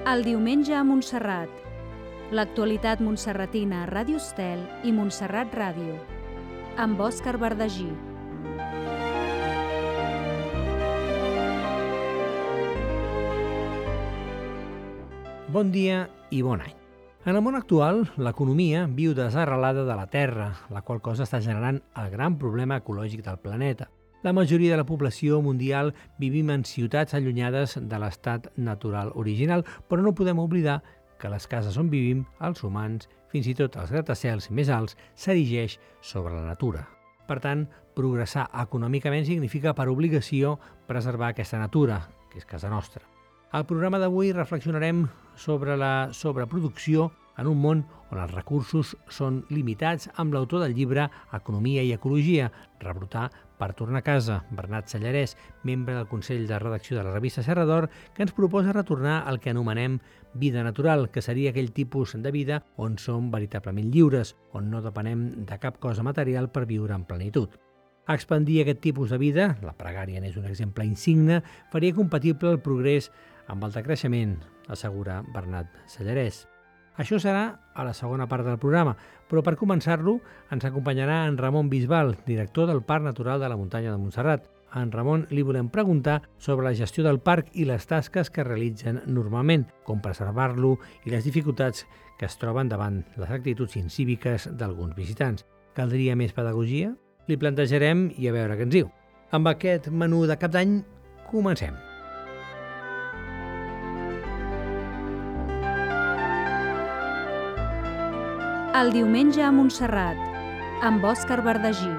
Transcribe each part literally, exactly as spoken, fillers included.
El diumenge a Montserrat. L'actualitat montserratina a Ràdio Estel i Montserrat Ràdio. Amb Òscar Verdagí. Bon dia i bon any. En el món actual, l'economia viu desarrelada de la Terra, la qual cosa està generant el gran problema ecològic del planeta. La majoria de la població mundial vivim en ciutats allunyades de l'estat natural original, però no podem oblidar que les cases on vivim, els humans, fins i tot els gratacels més alts, s'erigeix sobre la natura. Per tant, progressar econòmicament significa per obligació preservar aquesta natura, que és casa nostra. Al programa d'avui reflexionarem sobre la sobreproducció en un món on els recursos són limitats amb l'autor del llibre Economia i Ecologia, Rebrotar per tornar a casa, Bernat Sallarès, membre del Consell de Redacció de la revista Serra d'Or, que ens proposa retornar al que anomenem vida natural, que seria aquell tipus de vida on som veritablement lliures, on no depenem de cap cosa material per viure en plenitud. Expandir aquest tipus de vida, la pregària n'és un exemple insigne, faria compatible el progrés amb el decreixement, assegura Bernat Sallarès. Això serà a la segona part del programa, però per començar-lo ens acompanyarà en Ramon Bisbal, director del Parc Natural de la Muntanya de Montserrat. A en Ramon li volem preguntar sobre la gestió del parc i les tasques que realitzen normalment, com preservar-lo i les dificultats que es troben davant les actituds incíviques d'alguns visitants. Caldria més pedagogia? Li plantejarem i a veure què ens diu. Amb aquest menú de cap d'any, comencem. El diumenge a Montserrat, amb Òscar Verdagí.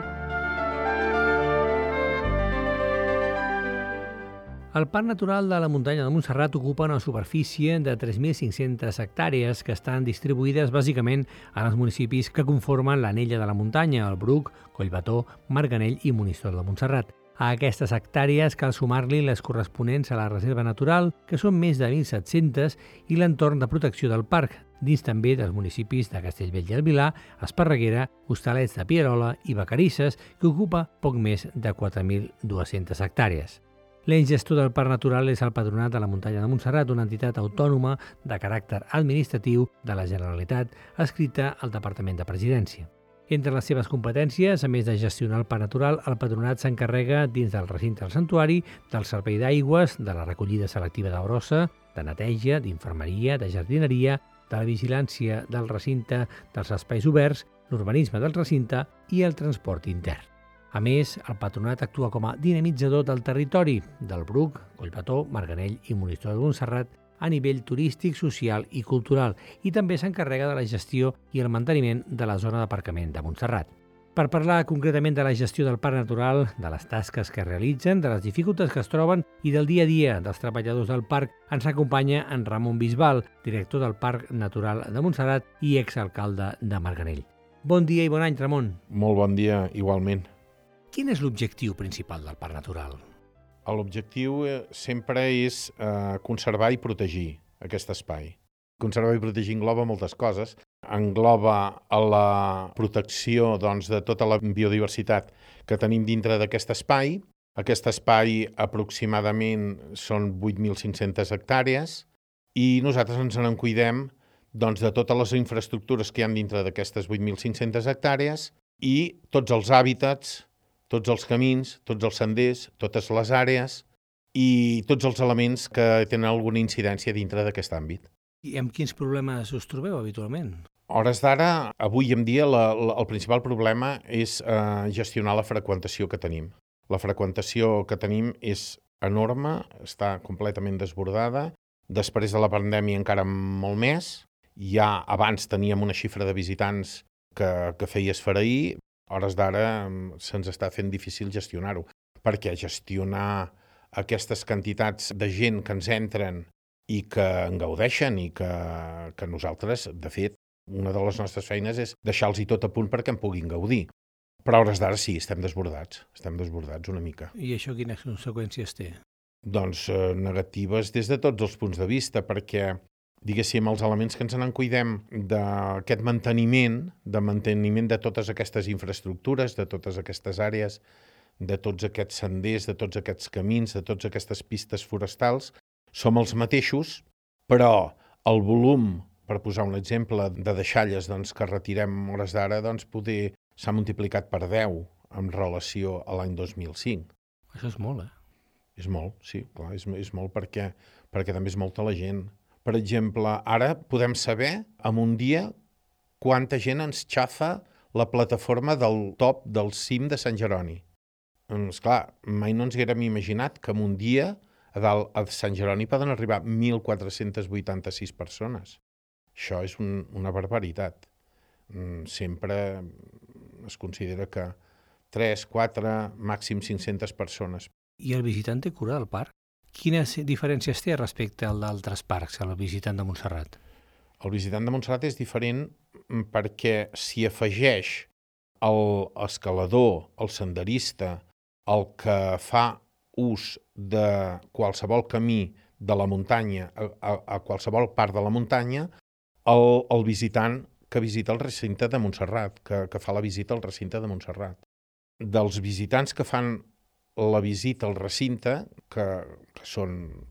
El Parc Natural de la Muntanya de Montserrat ocupa una superfície de tres mil cinc-centes hectàrees que estan distribuïdes bàsicament en els municipis que conformen l'Anella de la Muntanya, el Bruc, Collbató, Marganell i Monistrol de Montserrat. A aquestes hectàrees cal sumar-li les corresponents a la reserva natural, que són més de mil set-centes, i l'entorn de protecció del parc, dins també dels municipis de Castellbell i el Vilar, Esparreguera, Hostalets de Pierola i Vacarisses, que ocupa poc més de quatre mil dues-centes hectàrees. L'ens gestor del Parc Natural és el Patronat de la Muntanya de Montserrat, una entitat autònoma de caràcter administratiu de la Generalitat, adscrita al Departament de Presidència. Entre les seves competències, a més de gestionar el parc natural, el Patronat s'encarrega dins del recinte del santuari del servei d'aigües, de la recollida selectiva de brossa, de neteja, d'infermeria, de jardineria, de la vigilància del recinte dels espais oberts, l'urbanisme del recinte i el transport intern. A més, el Patronat actua com a dinamitzador del territori del Bruc, Collbató, Marganell i Monistrol de Montserrat a nivell turístic, social i cultural, i també s'encarrega de la gestió i el manteniment de la zona d'aparcament de Montserrat. Per parlar concretament de la gestió del parc natural, de les tasques que realitzen, de les dificultats que es troben i del dia a dia dels treballadors del parc, ens acompanya en Ramon Bisbal, director del Parc Natural de Montserrat i exalcalde de Marganell. Bon dia i bon any, Ramon. Molt bon dia, igualment. Quin és l'objectiu principal del parc natural? L'objectiu sempre és eh, conservar i protegir aquest espai. Conservar i protegir engloba moltes coses. Engloba la protecció doncs, de tota la biodiversitat que tenim dintre d'aquest espai. Aquest espai aproximadament són vuit mil cinc-centes hectàrees i nosaltres ens en cuidem doncs, de totes les infraestructures que hi ha dintre d'aquestes vuit mil cinc-centes hectàrees i tots els hàbitats, tots els camins, tots els senders, totes les àrees i tots els elements que tenen alguna incidència dintre d'aquest àmbit. I amb quins problemes us trobeu habitualment? A hores d'ara, avui en dia, la, la, el principal problema és eh, gestionar la freqüentació que tenim. La freqüentació que tenim és enorme, està completament desbordada. Després de la pandèmia encara molt més. Ja abans teníem una xifra de visitants que, que feia esfereir. A hores d'ara se'ns està fent difícil gestionar-ho, perquè gestionar aquestes quantitats de gent que ens entren i que en gaudeixen i que, que nosaltres, de fet, una de les nostres feines és deixar-los-hi tot a punt perquè en puguin gaudir. Però a hores d'ara sí, estem desbordats, estem desbordats una mica. I això quines conseqüències té? Doncs eh, negatives des de tots els punts de vista, perquè diguéssim, els elements que ens en cuidem d'aquest manteniment, de manteniment de totes aquestes infraestructures, de totes aquestes àrees, de tots aquests senders, de tots aquests camins, de totes aquestes pistes forestals, som els mateixos, però El volum, per posar un exemple, de deixalles doncs, que retirem a hores d'ara, doncs, poder s'ha multiplicat per deu en relació a l'any dos mil cinc. Això és molt, eh? És molt, sí, clar, és, és molt perquè, perquè també és molta la gent. Per exemple, ara podem saber en un dia quanta gent ens xafa la plataforma del top del cim de Sant Jeroni. Esclar, mai no ens haguérem imaginat que en un dia a dalt a Sant Jeroni poden arribar mil quatre-cents vuitanta-sis persones. Això és un, una barbaritat. Sempre es considera que tres, quatre, màxim cinc-centes persones. I el visitant té cura del parc? Quines diferències té respecte al d'altres parcs, el visitant de Montserrat? El visitant de Montserrat és diferent perquè s'hi afegeix l'escalador, el senderista, el que fa ús de qualsevol camí de la muntanya, a, a, a qualsevol part de la muntanya, el, el visitant que visita el recinte de Montserrat, que, que fa la visita al recinte de Montserrat. Dels visitants que fan la visita al recinte, que, que són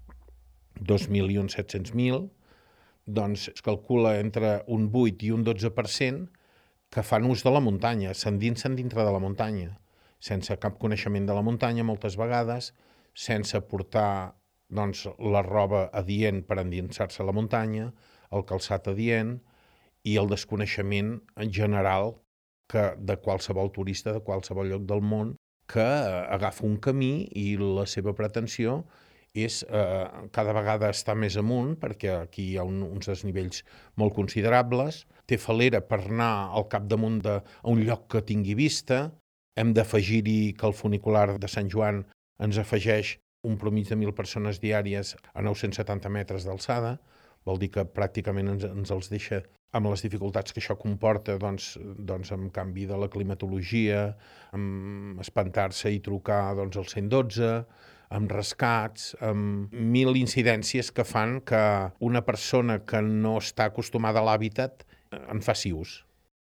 dos milions set-cents mil, doncs es calcula entre un vuit i un dotze per cent que fan ús de la muntanya, s'endinsen dintre de la muntanya, sense cap coneixement de la muntanya moltes vegades, sense portar doncs, la roba adient per endinsar-se a la muntanya, el calçat adient i el desconeixement en general que de qualsevol turista de qualsevol lloc del món que agafa un camí i la seva pretensió és eh, cada vegada estar més amunt, perquè aquí hi ha un, uns desnivells molt considerables, té falera per anar al capdamunt de, a un lloc que tingui vista, hem d'afegir-hi que el funicular de Sant Joan ens afegeix un promig de mil persones diàries a nou-cents setanta metres d'alçada, vol dir que pràcticament ens, ens els deixa amb les dificultats que això comporta, doncs, doncs amb canvi de la climatologia, amb espantar-se i trucar doncs, al cent dotze, amb rescats, amb mil incidències que fan que una persona que no està acostumada a l'hàbitat en faci ús.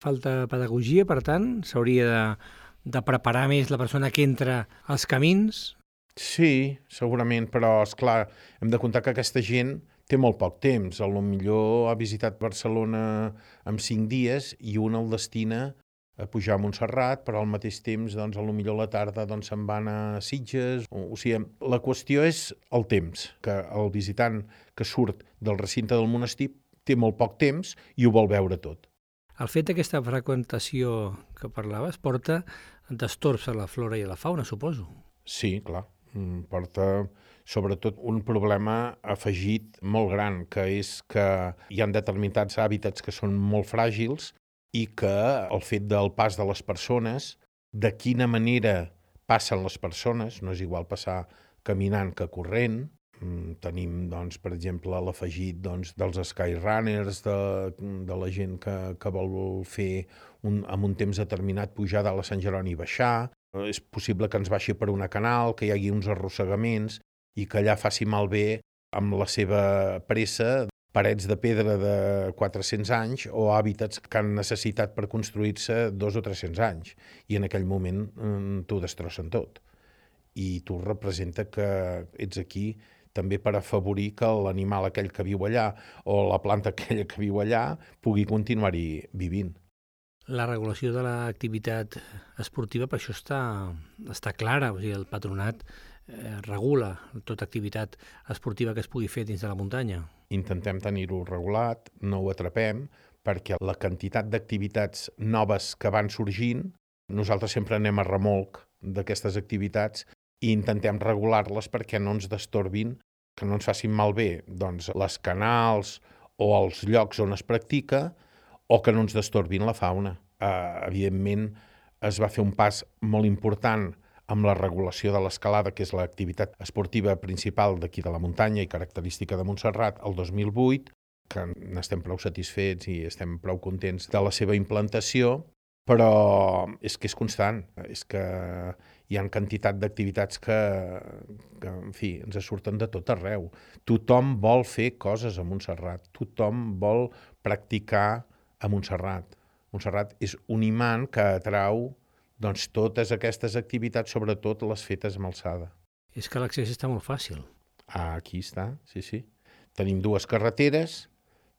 Falta pedagogia, per tant? S'hauria de, de preparar més la persona que entra als camins? Sí, segurament, però, esclar, hem de comptar que aquesta gent té molt poc temps. A lo millor ha visitat Barcelona en cinc dies i un el destina a pujar a Montserrat, però al mateix temps, doncs, a lo millor a la tarda doncs, se'n van a Sitges. O, o sigui, la qüestió és el temps, que el visitant que surt del recinte del monestir té molt poc temps i ho vol veure tot. El fet d'aquesta freqüentació que parlaves porta destorbs a la flora i a la fauna, suposo. Sí, clar. Porta sobretot un problema afegit molt gran, que és que hi ha determinats hàbitats que són molt fràgils i que el fet del pas de les persones, de quina manera passen les persones, no és igual passar caminant que corrent. Tenim, doncs, per exemple, l'afegit doncs, dels skyrunners, de, de la gent que, que vol fer un, amb un temps determinat pujar dalt a Sant Jeroni i baixar. És possible que ens baixi per una canal, que hi hagi uns arrossegaments i que allà faci malbé amb la seva pressa parets de pedra de quatre-cents anys o hàbitats que han necessitat per construir-se dos o tres-cents anys. I en aquell moment mm, t'ho destrossen tot. I tu representa que ets aquí també per afavorir que l'animal aquell que viu allà o la planta aquella que viu allà pugui continuar-hi vivint. La regulació de l'activitat esportiva per això està, està clara, o sigui, el patronat eh, regula tota activitat esportiva que es pugui fer dins de la muntanya. Intentem tenir-ho regulat, no ho atrapem, perquè la quantitat d'activitats noves que van sorgint, nosaltres sempre anem a remolc d'aquestes activitats i intentem regular-les perquè no ens destorbin, que no ens facin malbé doncs, les canals o els llocs on es practica, o que no ens destorbin la fauna. Uh, evidentment, es va fer un pas molt important amb la regulació de l'escalada, que és l'activitat esportiva principal d'aquí de la muntanya i característica de Montserrat, el dos mil vuit, que n'estem prou satisfets i estem prou contents de la seva implantació, però és que és constant, és que hi ha quantitat d'activitats que, que, en fi, ens surten de tot arreu. Tothom vol fer coses a Montserrat, tothom vol practicar a Montserrat. Montserrat és un imant que atrau doncs, totes aquestes activitats, sobretot les fetes amb alçada. És que l'accés està molt fàcil. Ah, aquí està, sí, sí. Tenim dues carreteres,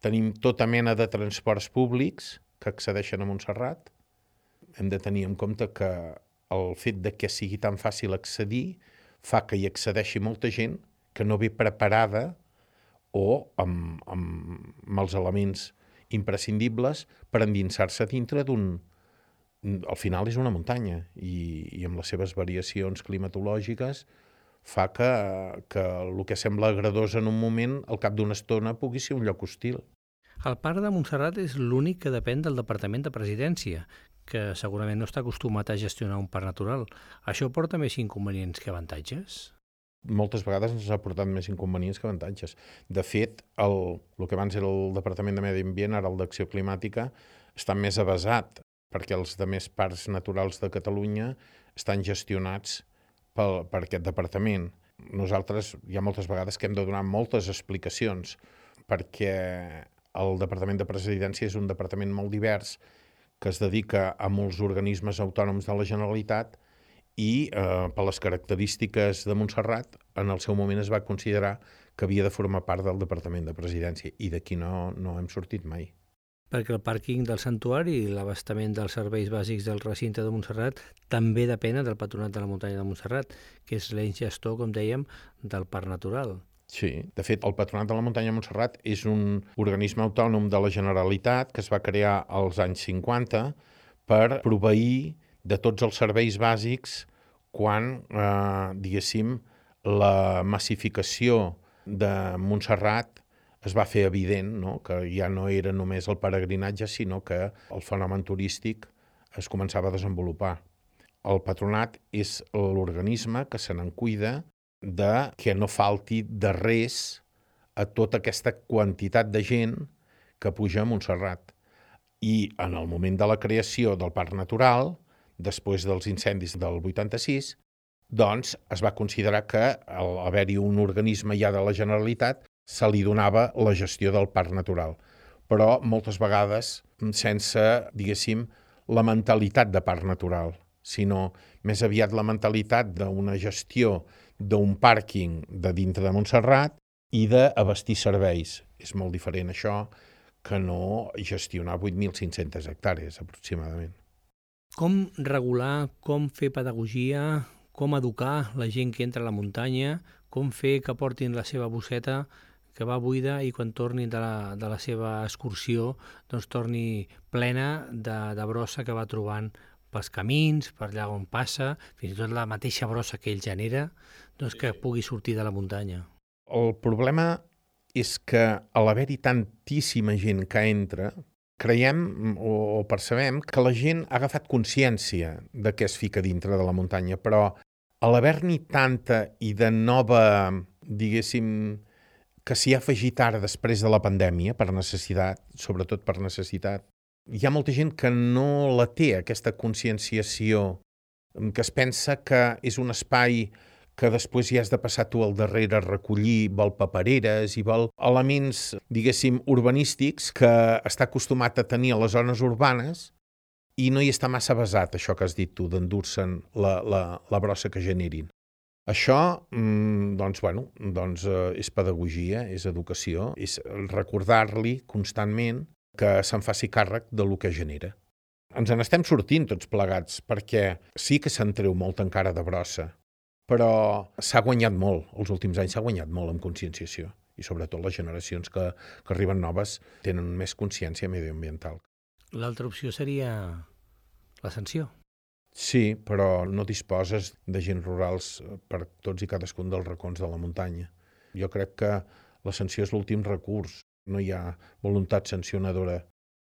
Tenim tota mena de transports públics que accedeixen a Montserrat. Hem de tenir en compte que el fet de que sigui tan fàcil accedir fa que hi accedeixi molta gent que no ve preparada o amb, amb, amb els elements imprescindibles per endinsar-se dintre d'un... Al final és una muntanya i, i amb les seves variacions climatològiques fa que, que el que sembla agradós en un moment, al cap d'una estona, pugui ser un lloc hostil. El Parc de Montserrat és l'únic que depèn del Departament de Presidència, que segurament no està acostumat a gestionar un parc natural. Això porta més inconvenients que avantatges? Moltes vegades ens ha portat més inconvenients que avantatges. De fet, el, el que abans era el Departament de Medi Ambient, ara el d'Acció Climàtica, està més avasat, perquè els altres parcs naturals de Catalunya estan gestionats per, per aquest departament. Nosaltres hi ha moltes vegades que hem de donar moltes explicacions, perquè el Departament de Presidència és un departament molt divers que es dedica a molts organismes autònoms de la Generalitat i eh, per les característiques de Montserrat en el seu moment es va considerar que havia de formar part del Departament de Presidència i d'aquí no, no hem sortit mai. Perquè el pàrquing del santuari i l'abastament dels serveis bàsics del recinte de Montserrat també depenen del Patronat de la Muntanya de Montserrat, que és l'ens gestor, com dèiem, del parc natural. Sí, de fet, el Patronat de la Muntanya de Montserrat és un organisme autònom de la Generalitat que es va crear als anys cinquanta per proveir de tots els serveis bàsics quan, eh, diguéssim, la massificació de Montserrat es va fer evident, no? Que ja no era només el peregrinatge, sinó que el fenomen turístic es començava a desenvolupar. El patronat és l'organisme que se n'en cuida de que no falti de res a tota aquesta quantitat de gent que puja a Montserrat. I en el moment de la creació del Parc Natural, després dels incendis del vuitanta-sis, doncs es va considerar que al haver-hi un organisme ja de la Generalitat se li donava la gestió del parc natural, però moltes vegades sense, diguéssim, la mentalitat de parc natural, sinó més aviat la mentalitat d'una gestió d'un pàrquing de dintre de Montserrat i d'abastir serveis. És molt diferent això que no gestionar vuit mil cinc-centes hectàrees aproximadament. Com regular, com fer pedagogia, com educar la gent que entra a la muntanya, com fer que portin la seva bosseta que va buida i quan tornin de la, de la seva excursió doncs torni plena de, de brossa que va trobant pels camins, per allà on passa, fins i tot la mateixa brossa que ell genera, doncs que pugui sortir de la muntanya. El problema és que a l'haver-hi tantíssima gent que entra, creiem o percebem que la gent ha agafat consciència de què es fica dintre de la muntanya, però a l'haver-n'hi tanta i de nova, diguéssim, que s'hi ha afegit ara després de la pandèmia, per necessitat, sobretot per necessitat, hi ha molta gent que no la té, aquesta conscienciació, que es pensa que és un espai que després hi has de passar tu al darrere a recollir, vol papereres i vol elements, diguéssim, urbanístics que està acostumat a tenir a les zones urbanes i no hi està massa basat, això que has dit tu, d'endur-se'n la, la, la brossa que generin. Això, doncs, bueno, doncs, és pedagogia, és educació, és recordar-li constantment que se'n faci càrrec de lo que genera. Ens en estem sortint tots plegats, perquè sí que se'n treu molt encara de brossa, però s'ha guanyat molt, els últims anys s'ha guanyat molt en conscienciació, i sobretot les generacions que, que arriben noves tenen més consciència medioambiental. L'altra opció seria la sanció. Sí, però no disposes d'agents rurals per tots i cadascun dels racons de la muntanya. Jo crec que la sanció és l'últim recurs. No hi ha voluntat sancionadora.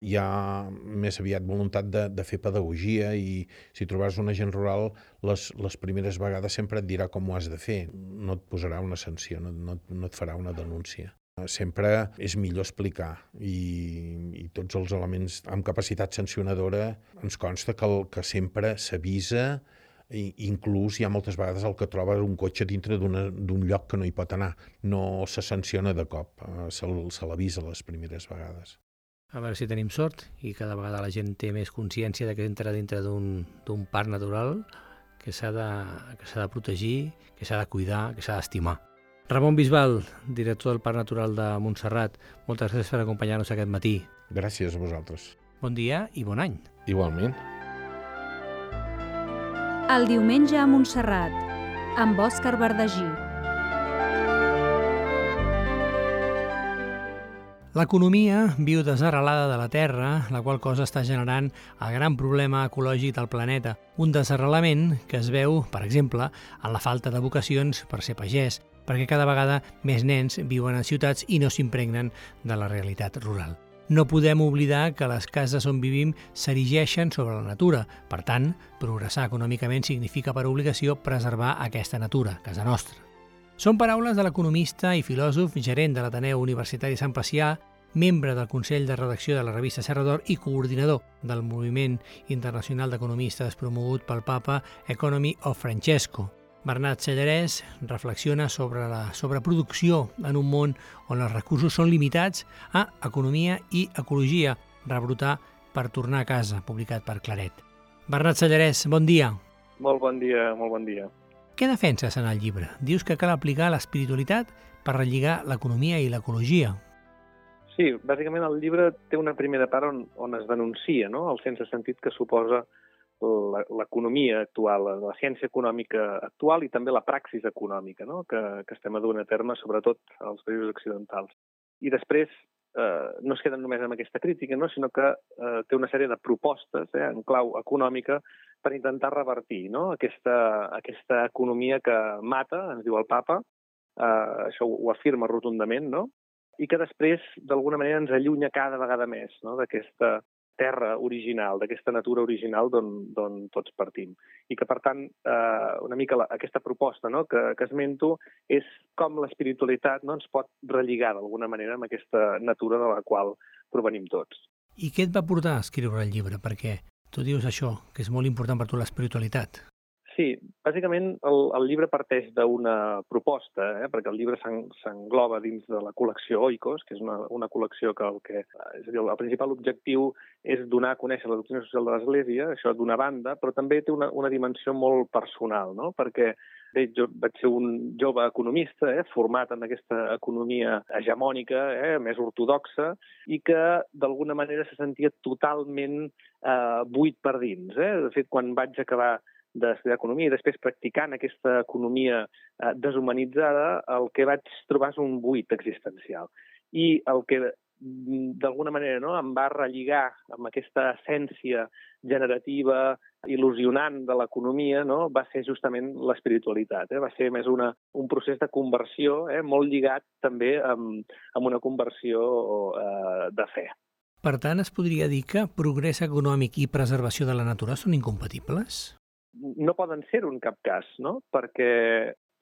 Hi ha més aviat voluntat de, de fer pedagogia i si trobes un agent rural, les, les primeres vegades sempre et dirà com ho has de fer. No et posarà una sanció, no, no, no et farà una denúncia. Sempre és millor explicar i, i tots els elements amb capacitat sancionadora ens consta que, el, que sempre s'avisa i inclús hi ha moltes vegades el que troba un cotxe dintre d'un lloc que no hi pot anar. No se sanciona de cop, se, se l'avisa les primeres vegades. A veure si tenim sort i cada vegada la gent té més consciència de que entra dintre d'un parc natural que s'ha de, que s'ha de protegir, que s'ha de cuidar, que s'ha d'estimar. Ramon Bisbal, director del Parc Natural de Montserrat, moltes gràcies per acompanyar-nos aquest matí. Gràcies a vosaltres. Bon dia i bon any. Igualment. El diumenge a Montserrat, amb Òscar Verdagí. L'economia viu desarrelada de la Terra, la qual cosa està generant el gran problema ecològic del planeta. Un desarrelament que es veu, per exemple, en la falta de vocacions per ser pagès, perquè cada vegada més nens viuen en ciutats i no s'impregnen de la realitat rural. No podem oblidar que les cases on vivim s'erigeixen sobre la natura. Per tant, progressar econòmicament significa per obligació preservar aquesta natura, casa nostra. Són paraules de l'economista i filòsof, gerent de l'Ateneu Universitari Sant Pacià, membre del Consell de Redacció de la revista Serra d'Or i coordinador del Moviment Internacional d'Economistes promogut pel Papa Economy of Francesco. Bernat Sellarès reflexiona sobre la sobreproducció en un món on els recursos són limitats a Economia i Ecologia, rebrotar per tornar a casa, publicat per Claret. Bernat Sellarès, bon dia. Molt bon dia, molt bon dia. Què defenses en el llibre? Dius que cal aplicar l'espiritualitat per relligar l'economia i l'ecologia. Sí, bàsicament el llibre té una primera part on, on es denuncia, no?, el sense sentit que suposa l'economia actual, la ciència econòmica actual i també la praxis econòmica, no?, que, que estem duent a terme, sobretot als països occidentals. I després eh, no es queden només amb aquesta crítica, no?, sinó que eh, té una sèrie de propostes eh, en clau econòmica per intentar revertir, no?, aquesta, aquesta economia que mata, ens diu el Papa, eh, això ho, ho afirma rotundament, no?, i que després, d'alguna manera, ens allunya cada vegada més, no?, d'aquesta terra original, d'aquesta natura original d'on tots partim. I que, per tant, eh, una mica la, aquesta proposta, no?, que, que esmento és com l'espiritualitat, no?, ens pot relligar d'alguna manera amb aquesta natura de la qual provenim tots. I què et va portar a escriure el llibre? Perquè tu dius això, que és molt important per tu l'espiritualitat. Sí, bàsicament el, el llibre parteix d'una proposta, eh, perquè el llibre s'engloba dins de la col·lecció Oikos, que és una, una col·lecció que el, que és a dir, el principal objectiu és donar a conèixer la doctrina social de l'Església, això d'una banda, però també té una, una dimensió molt personal, no?, perquè bé, jo vaig ser un jove economista, eh, format en aquesta economia hegemònica, eh, més ortodoxa, i que d'alguna manera se sentia totalment eh, buit per dins. Eh? De fet, quan vaig acabar d'estudiar economia i després practicant aquesta economia eh, deshumanitzada, el que vaig trobar és un buit existencial. I el que d'alguna manera no, em va relligar amb aquesta essència generativa, il·lusionant de l'economia, no, va ser justament l'espiritualitat. Eh? Va ser més una, un procés de conversió eh, molt lligat també amb, amb una conversió eh, de fe. Per tant, es podria dir que progrés econòmic i preservació de la natura són incompatibles? No poden ser-ho en cap cas, no? Perquè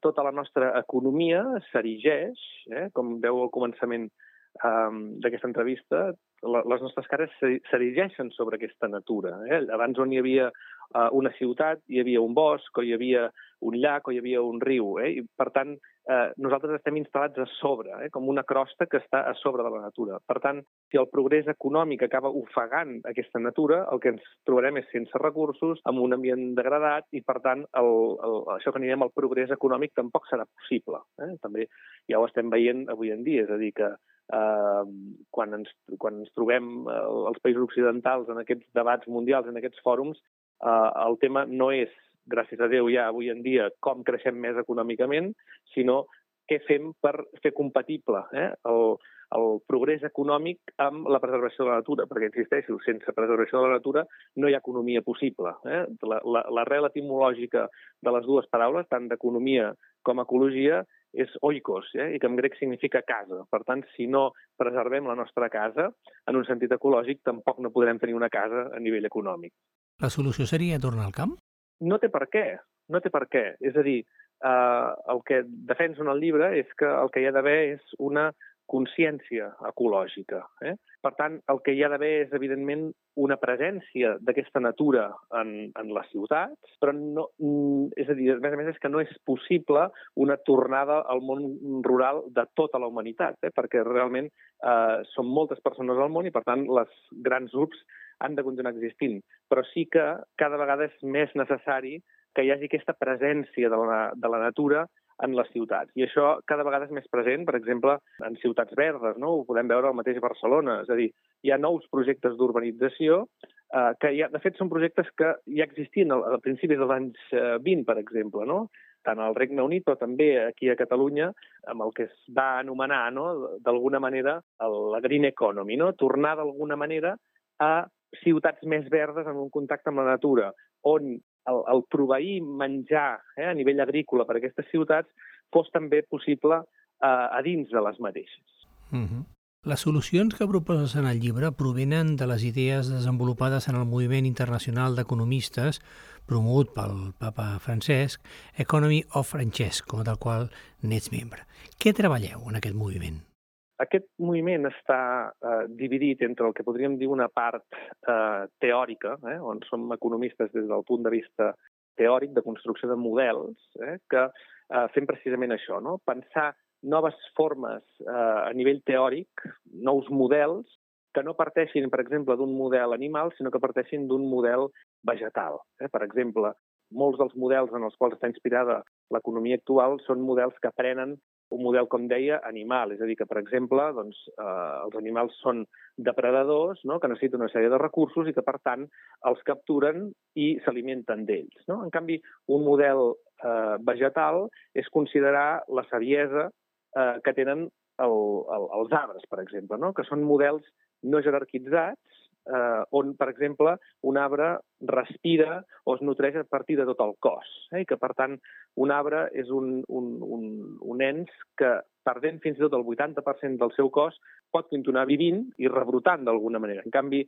tota la nostra economia s'erigeix, eh? Com veu al començament um, d'aquesta entrevista, la, les nostres cares s'erigeixen sobre aquesta natura. Eh? Abans on hi havia uh, una ciutat, hi havia un bosc, o hi havia un llac, o hi havia un riu. Eh? I, per tant, eh, nosaltres estem instal·lats a sobre, eh? com una crosta que està a sobre de la natura. Per tant, si el progrés econòmic acaba ofegant aquesta natura, el que ens trobarem és sense recursos, amb un ambient degradat, i per tant, el, el, això que anirem al progrés econòmic tampoc serà possible. Eh? També ja ho estem veient avui en dia, és a dir, que eh, quan, ens, quan ens trobem eh, als països occidentals en aquests debats mundials, en aquests fòrums, eh, el tema no és, gràcies a Déu ja avui en dia, com creixem més econòmicament, sinó què fem per fer compatible eh, el, el progrés econòmic amb la preservació de la natura, perquè, insisteixo, sense preservació de la natura no hi ha economia possible. Eh? L'arrel etimològica de les dues paraules, tant d'economia com ecologia, és oikos, eh? i que en grec significa casa. Per tant, si no preservem la nostra casa, en un sentit ecològic, tampoc no podrem tenir una casa a nivell econòmic. La solució seria tornar al camp? No té per què, no té per què. És a dir, eh, el que defenso en el llibre és que el que hi ha d'haver és una consciència ecològica. Eh? Per tant, el que hi ha d'haver és, evidentment, una presència d'aquesta natura en, en les ciutats, però no, és a dir, a més a més és que no és possible una tornada al món rural de tota la humanitat, eh? perquè realment eh, són moltes persones al món i, per tant, les grans grups han de continuar existint. Però sí que cada vegada és més necessari que hi hagi aquesta presència de la, de la natura en les ciutats. I això cada vegada és més present, per exemple, en ciutats verdes, no? Ho podem veure al mateix Barcelona. És a dir, hi ha nous projectes d'urbanització eh, que, ja, de fet, són projectes que ja existien a, a principis dels anys eh, vint, per exemple, no? Tant al Regne Unit, però també aquí a Catalunya, amb el que es va anomenar, no? D'alguna manera, la green economy, no? Tornar d'alguna manera a ciutats més verdes en un contacte amb la natura, on el, el proveir menjar eh, a nivell agrícola per a aquestes ciutats fos també possible eh, a dins de les mateixes. Uh-huh. Les solucions que proposes en el llibre provenen de les idees desenvolupades en el moviment internacional d'economistes promogut pel papa Francesc, Economy of Francesco, del qual n'ets membre. Què treballeu en aquest moviment? Aquest moviment està eh, dividit entre el que podríem dir una part eh, teòrica, eh, on som economistes des del punt de vista teòric de construcció de models, eh, que eh, fem precisament això, no? Pensar noves formes eh, a nivell teòric, nous models, que no parteixin, per exemple, d'un model animal, sinó que parteixin d'un model vegetal. Eh? Per exemple, molts dels models en els quals està inspirada l'economia actual són models que prenen un model, com deia, animal. És a dir, que, per exemple, doncs, eh, els animals són depredadors, no? Que necessiten una sèrie de recursos i que, per tant, els capturen i s'alimenten d'ells. No? En canvi, un model eh, vegetal és considerar la saviesa eh, que tenen el, el, els arbres, per exemple, no? Que són models no jerarquitzats, eh, on, per exemple, un arbre respira o es nutreix a partir de tot el cos, eh? I que, per tant, un arbre és un, un, un, un ens que, perdent fins i tot el vuitanta per cent del seu cos, pot continuar vivint i rebrotant d'alguna manera. En canvi,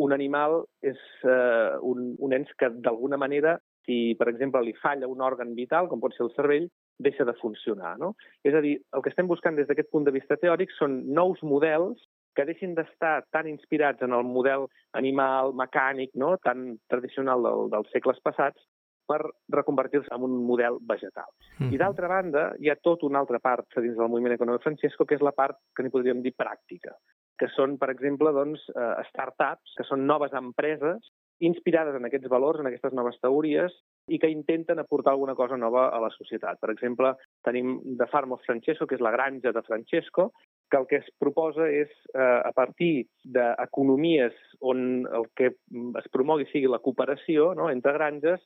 un animal és eh, un, un ens que, d'alguna manera, si, per exemple, li falla un òrgan vital, com pot ser el cervell, deixa de funcionar, no? És a dir, el que estem buscant des d'aquest punt de vista teòric són nous models que deixin d'estar tan inspirats en el model animal, mecànic, no? Tan tradicional del, dels segles passats, per reconvertir-se en un model vegetal. Mm-hmm. I d'altra banda, hi ha tota una altra part dins del moviment econòmic Francesco, que és la part que n'hi podríem dir pràctica, que són, per exemple, doncs, startups, que són noves empreses inspirades en aquests valors, en aquestes noves teories, i que intenten aportar alguna cosa nova a la societat. Per exemple, tenim The Farm of Francesco, que és la granja de Francesco, que el que es proposa és, eh, a partir d'economies on el que es promogui sigui la cooperació, no?, entre granges,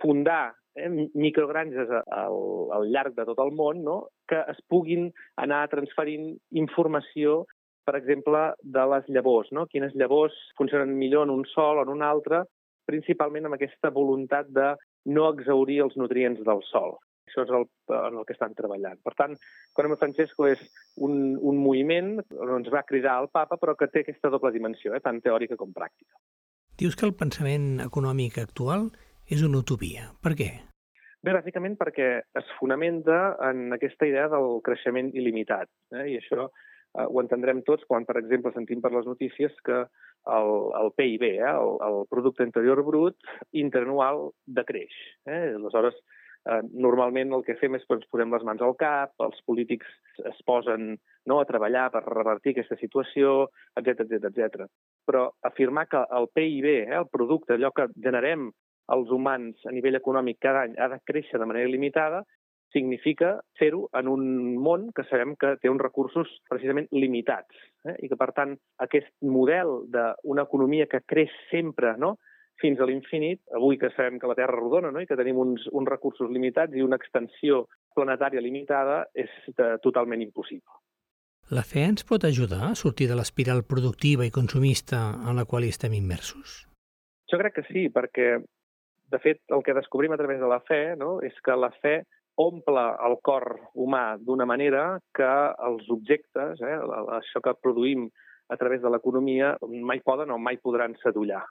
fundar eh, microgranges al, al llarg de tot el món, no?, que es puguin anar transferint informació, per exemple, de les llavors, no? Quines llavors funcionen millor en un sòl o en un altre, principalment amb aquesta voluntat de no exhaurir els nutrients del sòl. Això és el, en el que estan treballant. Per tant, Economy of Francesco és un, un moviment on ens va cridar el papa, però que té aquesta doble dimensió, eh, tant teòrica com pràctica. Dius que el pensament econòmic actual és una utopia. Per què? Bé, bàsicament perquè es fonamenta en aquesta idea del creixement il·limitat. Eh? I això eh, ho entendrem tots quan, per exemple, sentim per les notícies que el, el P I B, eh, el, el Producte Interior Brut interanual decreix. Eh? Aleshores, eh, normalment el que fem és que ens posem les mans al cap, els polítics es posen, no, a treballar per revertir aquesta situació, etcètera, etcètera, etcètera. Però afirmar que el P I B, eh, el producte, allò que generem els humans a nivell econòmic cada any ha de créixer de manera limitada, significa fer-ho en un món que sabem que té uns recursos precisament limitats. Eh? I que, per tant, aquest model d'una economia que creix sempre, no?, fins a l'infinit, avui que sabem que la Terra és rodona, no?, i que tenim uns, uns recursos limitats i una extensió planetària limitada, és de, totalment impossible. La fe ens pot ajudar a sortir de l'espiral productiva i consumista en la qual estem immersos? Jo crec que sí, perquè de fet, el que descobrim a través de la fe, no?, és que la fe omple el cor humà d'una manera que els objectes, eh, això que produïm a través de l'economia, mai poden o mai podran sadollar.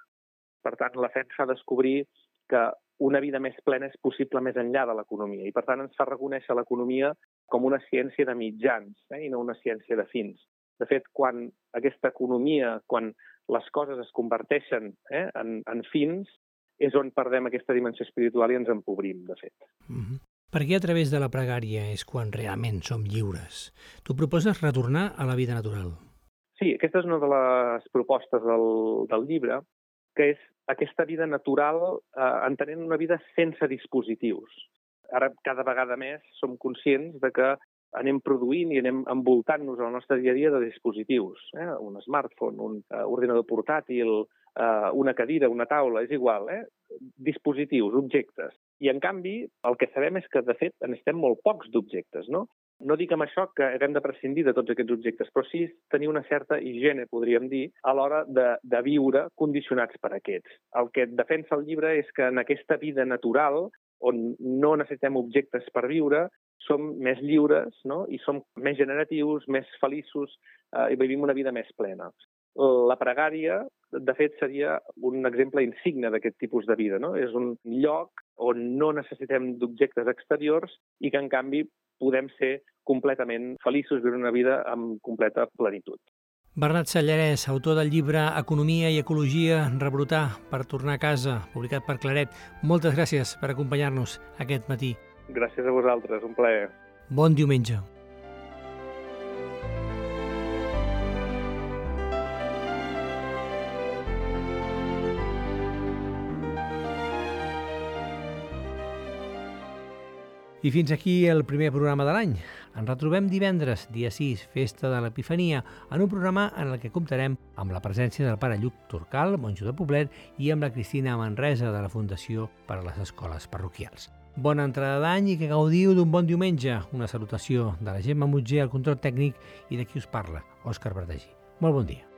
Per tant, la fe ens fa descobrir que una vida més plena és possible més enllà de l'economia i, per tant, ens fa reconèixer l'economia com una ciència de mitjans, eh, i no una ciència de fins. De fet, quan aquesta economia, quan les coses es converteixen eh, en, en fins, és on perdem aquesta dimensió espiritual i ens empobrim, de fet. Mm-hmm. Perquè a través de la pregària és quan realment som lliures. Tu proposes retornar a la vida natural. Sí, aquesta és una de les propostes del, del llibre, que és aquesta vida natural, eh, entenent una vida sense dispositius. ara cada vegada més som conscients de que anem produint i anem envoltant-nos al nostre dia a dia de dispositius. Eh? Un smartphone, un uh, ordinador portàtil, uh, una cadira, una taula, és igual. Eh? Dispositius, objectes. I, en canvi, el que sabem és que, de fet, necessitem molt pocs d'objectes, no? No dic amb això que haguem de prescindir de tots aquests objectes, però sí tenir una certa higiene, podríem dir, a l'hora de, de viure condicionats per aquests. El que defensa el llibre és que en aquesta vida natural, on no necessitem objectes per viure, som més lliures, no? I som més generatius, més feliços eh, i vivim una vida més plena. La pregària, de fet, seria un exemple insigne d'aquest tipus de vida, no? És un lloc on no necessitem d'objectes exteriors i que, en canvi, podem ser completament feliços, viure una vida amb completa plenitud. Bernat Sallarès, autor del llibre Economia i Ecologia, rebrotar per tornar a casa, publicat per Claret. Moltes gràcies per acompanyar-nos aquest matí. Gràcies a vosaltres, un plaer. Bon diumenge. I fins aquí el primer programa de l'any. Ens retrobem divendres, dia sis, festa de l'Epifania, en un programa en el que comptarem amb la presència del pare Lluc Turcal, monjo de Poblet, i amb la Cristina Manresa de la Fundació per a les Escoles Parroquials. Bona entrada d'any i que gaudiu d'un bon diumenge. Una salutació de la Gemma Mutger al control tècnic i de qui us parla, Òscar Verdagí. Molt bon dia.